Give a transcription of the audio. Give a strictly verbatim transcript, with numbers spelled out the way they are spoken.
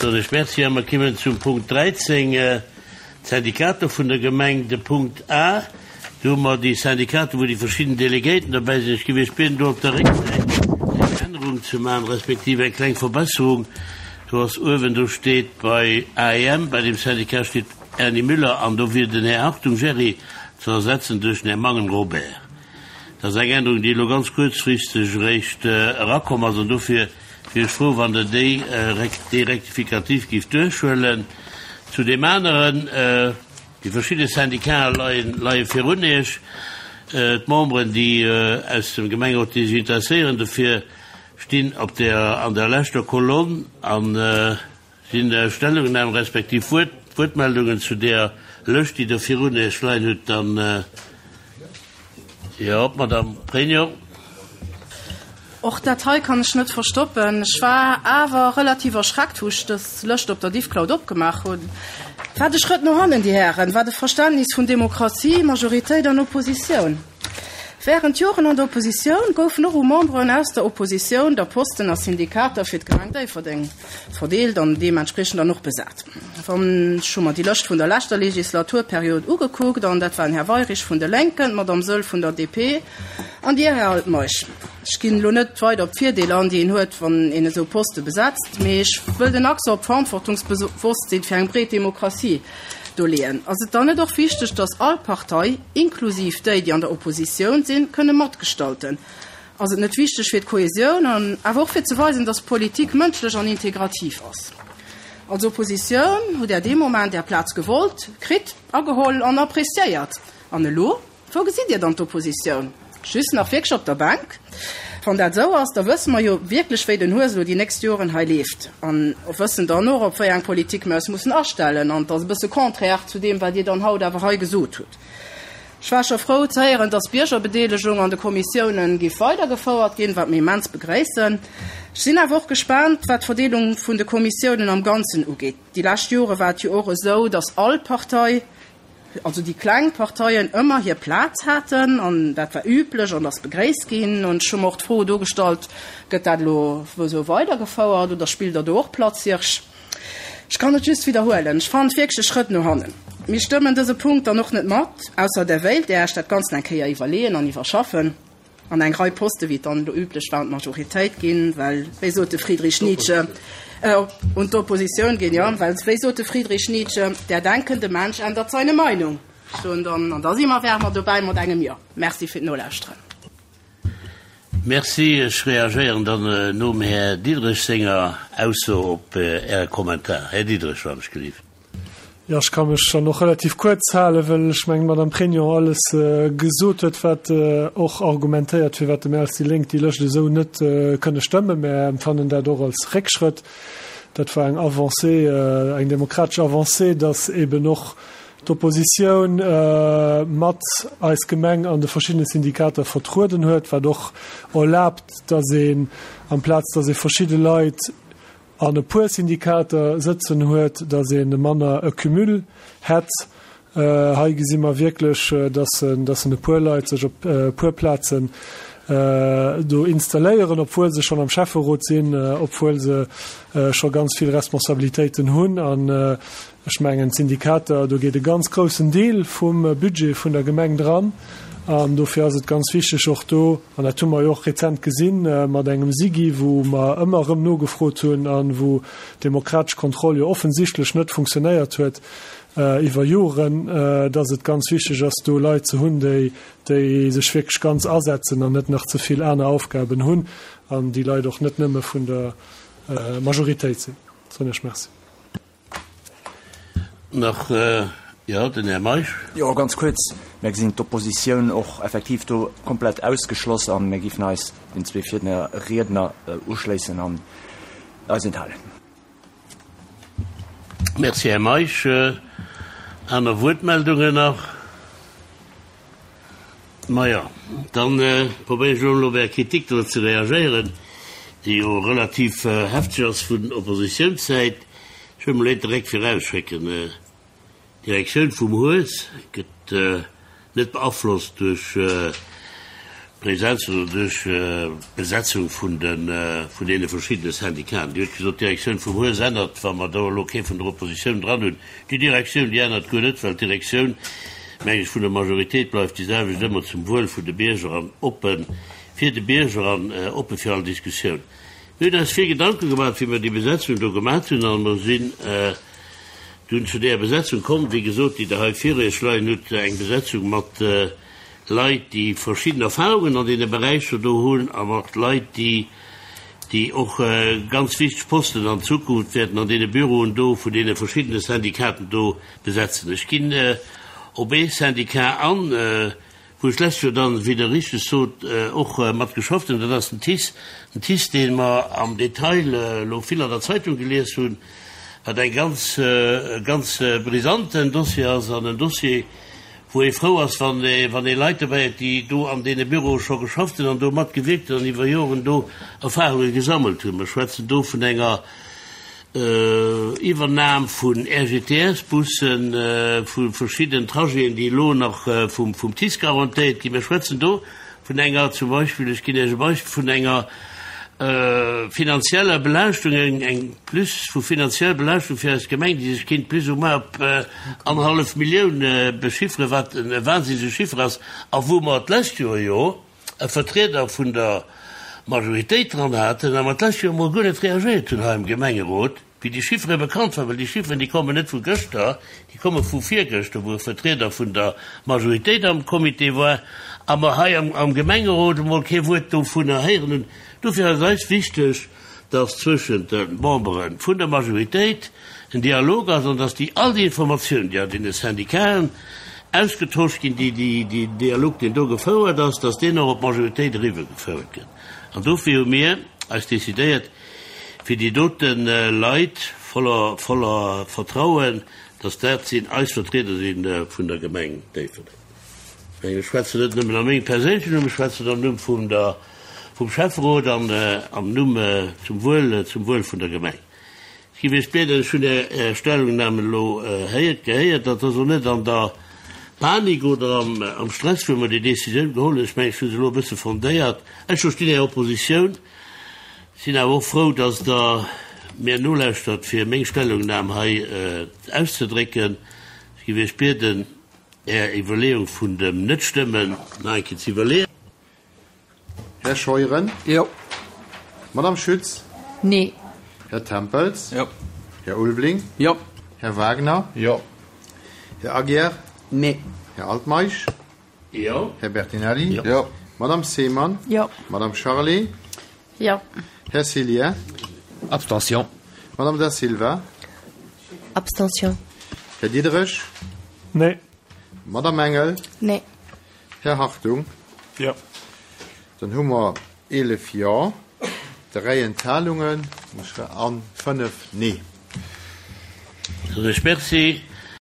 Soen ech Merci a mer kimmen zum Punkt dräizéng, d'Syndikater vun der Gemeng. De Punkt A, do hu mer déi Syndikater, wou déi verschidden Delegéierten dobäi sinn. Ech géif Iech bieden, do op der Récksäit eng Ännerung ze maachen, respektiv eng kleng Verbesserung. Do ass uewen, do steet bei A E M, bei deem Syndicat steet Erny Müller an do wier den Här Hartung Jerry ze ersetzen duerch den Här Mangen Robert. Dat ass eng Ännerung, déi elo ganz kuerzfristeg eréischt erakomm ass an dofir wier ech frou, wann Der déi, dee Rectificatif géift duerchhuelen. Zu deem aneren, déi verschidde Syndicaten leien, leie virun Iech. D'Memberen, déi aus dem Gemengerot, déi sech interesséieren dofir, stinn op der, an der leschter Kolonn an sinn Stellungnahmen respektiv Wuert, Wuertmeldungen zu där Lëscht, déi Der virun Iech leien hutt, dann, jo, d'Madame Pregno. Och dat hei kann ech net verstoppen. Ech war awer relativ erschreckt, wou ech dës Lëscht op der Diffcloud opgemaach hunn. Wat e Schrëtt no hannen, Dir Hären, wat e Verständnis vun Demokratie, Majoritéit an Oppositioun. Während Joren an der Oppositioun goufen och u Memberen aus der Oppositioun der Posten a Syndikater fir d'Gemeng Déifferdeng verdeelt an deementspriechend dann och besat. Wann ech hu mer déi Lëscht vun der leschter Legislaturperiod ugekuckt an dat waren Här Weyrich vun de Lénken, d'Madame Söll vun der D P an Dir, Här Altmeisch. Ech ginn elo net weider op d'Virdeeler an, déi een huet, wann een esou Poste besetzt, mee ech wëll den Accent op d'Verantwortungsbewosstsinn fir eng breet Demokratie do leeën. Ass et dann net och wichteg, dass all Partei, inklusiv déi, déi an der Oppositioun sinn, kënne matgestalten? Ass et net wichteg fir d'Kohesioun an awer och fir ze weisen, dass Politik mënschlech an integrativ ass? Als Oppositioun hutt Der dee Moment Är Plaz gewollt, kritt, ageholl an appréciéiert. An elo? Wou gesitt Dir dann d'Oppositioun? Just nach wierklech op der Bänk? Wann dat esou ass, da wësse mer jo wierklech, wéi den Hues elo déi nächst Joren hei leeft. An wëssen dann och, op wéi eng Politik mir eis mussen astellen. An dat ass e bësse contraire zu deem, wat Dir dann haut awer hei gesot hutt. Ech war scho frou ze héieren, dass d'Biergerbedeelegung an de Kommissiounen géif weidergefouert ginn, wat mir immens begréissen. Ech sinn awer och gespaant, wat d'Verdeelung vun de Kommissiounen am Ganzen ugeet. Déi lescht Jore war et jo och esou, dass all Partei, also déi kleng Parteien, ëmmer hir Plaz haten an dat war üblech an ass begréisst ginn. An ech hu mer och d'Fro do gestallt, gëtt dat elo esou weidergefouert oder spillt Der do och Platzhirsch? Ech kann et just widderhuelen, ech fannen et wierklech e Schrëtt no hannen. Mir stëmmen dëse Punkt dann och net mat, ausser Der wéilt Iech dat Ganzt eng Kéier iwwerleeën an iwwerschaffen an eng Rei Poste, wéi et dann elo üblech war, un d'Majoritéit ginn, well wéi sot de Friedrich Nietzsche, un d'Oppositioun ginn, jo, well wéi sot de Friedrich Nietzsche, der denkende Mensch ändert seine Meinung. Ech soen dann, an da si mer, wäre mer dobäi mat engem Jo. Merci fir d'Nolauschteren. Merci. Ech reagéieren dann nom Här Diderich senger Ausso op Äre Kommentar. Här Diderich, wann ech gelift. Jo, ech ka mech dann och relativ kuerz halen, well ech mengen, d'Madame Pregno alles gesot huet, wat och argumentéiert, firwat mir als déi Lénk déi Lëscht esou net kënne stëmmen. Mir empfannen dat och als Réckschrëtt. Dat war eng Avancée, eng demokratesch Avancée, dass eben och d'Oppositioun mat eis Gemeng an de verschiddene Syndikater vertrueden huet, wat och erlaabt, dass een, amplaz dass ee verschidde Leit an e puer Syndikater sëtzen huet, dass ee manner e Cumul hätt. Hei gesi mer wierklech, dass dass e puer Leit sech op e puer Plazen do installéieren, obwuel se schonn am Schäfferot sinn, obwuel se scho ganz vill Responsabilitéiten hunn. An ech mengen, d'Syndikater, do geet e ganz groussen Deel vum Budget vun der Gemeng dran. An dofir ass et ganz wichteg och do, an dat hu mer jo och rezent gesinn mat engem SIGI, wou mer ëmmer erëm nogefrot hunn an wou demokratesch Kontroll jo offensichtlech net funktionéiert huet iwwer Joren, dass et ganz wichteg ass, do Leit ze hunn, déi déi sech wierklech ganz asetzen an net nach ze vill aner Aufgaben hunn an déi Leit och net nëmme vun der Majoritéit sinn. Soen ech Merci. Nach, jo, den Här Meisch. Jo, ganz kuerz, Mir gesinn d'Oppositioun och effektiv do komplett ausgeschloss a mir géifen eis den zwee Virriedner uschléissen an eis enthalen. Merci, Här Meisch. Aner Wuertmeldungen nach? Maja, dann probéieren ech elo op Är Kritik do ze reagéieren, déi jo relativ hefteg ass vun Oppositiounssäit. Ech wëll mol eent direkt virausschécken, D'Direktioun vum Hues gëtt net beaflosst duerch Präsenz oder duerch d'Besetzung vun de vun deene verschiddene Syndicaten. Dir hutt gesot, d'Direktioun vum Hues ännert, wa mer do elo kee vun der Oppositioun dran hunn. Déi Direktioun, déi ännert guer net, well d'Direktioun, meng ech, vun der Majoritéit bleift déi selwecht, ëmmer zum Wuel vun de Bierger an oppe fir de Bierger an oppe fir all Diskussioun. Mir hunn eis vill Gedanke gemaach, wéi mer déi Besetzung do gemaach hunn, a mer sinn dunn zu deeër Besetzung komm, wéi gesot, déi Der hei vir Iech leien hutt, eng Besetzung mat Leit, déi verschidden Erfahrungen an deene Beräicher do hunn, a mat Leit, déi, déi och ganz wichteg Posten an Zukunft wäerten an deene Büroen do vun deene verschiddene Syndicaten do besetzen. Ech ginn op ee Syndicat an, wou ech d'lescht Joer dann, wéi Der richteg sot, och mat geschafft hunn, dat ass den TICE. Den TICE, dee mer am Detail elo vill an der Zeitung gelies hunn, wat eng ganz, e ganz brisanten Dossier ass an en Dossier, wou ee frou ass, wann ee, wann ee Leit dobäi huet, déi do an deene Büroe scho geschafft hunn an do matgewierkt hunn an iwwer Joren do Erfahrunge gesammelt hunn. Mer schwätzen do vun enger Iwwernam vun R G T S-Bussen, vu verschiddenen Trajeten, déi elo nach vum, vum TICE garantéiert ginn. Mer schwätzen do vun enger, zum Beispill, ech ginn Iech e Beispill, vun enger finanzieller Belaaschtung, eng, eng Plus vu finanzieller Belaaschtung fir eis Gemeng, déi sech kéint plus ou moins op annerhallef Millioun bechifferen, wat e wahnsinnege Chiffer ass, a wou mer d'lescht Joer jo e Vertrieder vun der Majoritéit dran haten a mer d'lescht Joer emol guer net reagéiert hunn hei am Gemengerot, wéi déi Chiffere bekannt waren, well déi Chifferen, déi kommen net vu gëschter, déi komme vu virgëschter, wou e Vertrieder vun der Majoritéit am Comité war a mer hei am, am Gemengerot emol kee Wuert dovunner héieren hunn. Dofir ass eis wichteg, dass zwëschent de Membere vun der Majoritéit en Dialog ass an dass déi all déi Informatiounen, déi an deene Syndicaten ausgetosch ginn, déi, déi, déi Dialog, deen do gefouert ass, dass deen och op d'Majoritéit eriwwergefouert gëtt. An dofir hu mir eis decidéiert, fir déi dote Leit voller, voller Vertrauen, dass dat sinn eis Vertrieder si vun der Gemeng Déifferdeng. Ech schwätzen net nëmmen a mengem perséinlechen Numm, ech schwätzen am Numm vum der, vum Schäfferot an am Numm zum Wuel, zum Wuel vun der Gemeng. Ech géif Iech bieden, ech hunn Är Stellungnahme elo héiert, gehéiert, dat ass och net an der Panik oder am, am Stress, wou mer déi Decisioun geholl hunn. Ech mengen, ech hu se elo e bësse fondéiert. Ech verstinn Är Oppositioun, sinn awer och frou, dass Der mir nolauschtert, fir meng Stellungnam hei auszedrécken. Ech géif Iech bieden, Är Iwwerleeung vun dem Netstëmmen nach eng Kéier ze iwwerleeën. Här Scheuren? Jo. Madame Schütz? Nee. Här Tempels? Jo. Här Ulveling? Jo. Här Wagner? Jo. Här Aguiar? Nee. Här Altmeisch? Jo. Här Bertinelli? Jo. Madame Seemann? Jo. Madame Charlé? Jo. Här Cillien? Abstention. Madame Da Silva? Abstention. Här Diderich? Nee. Madame Engel? Nee. Här Hartung? Jo. Dann hu mer eelef Jo, dräi Enthalungen a fënnef Nee. Ech merci.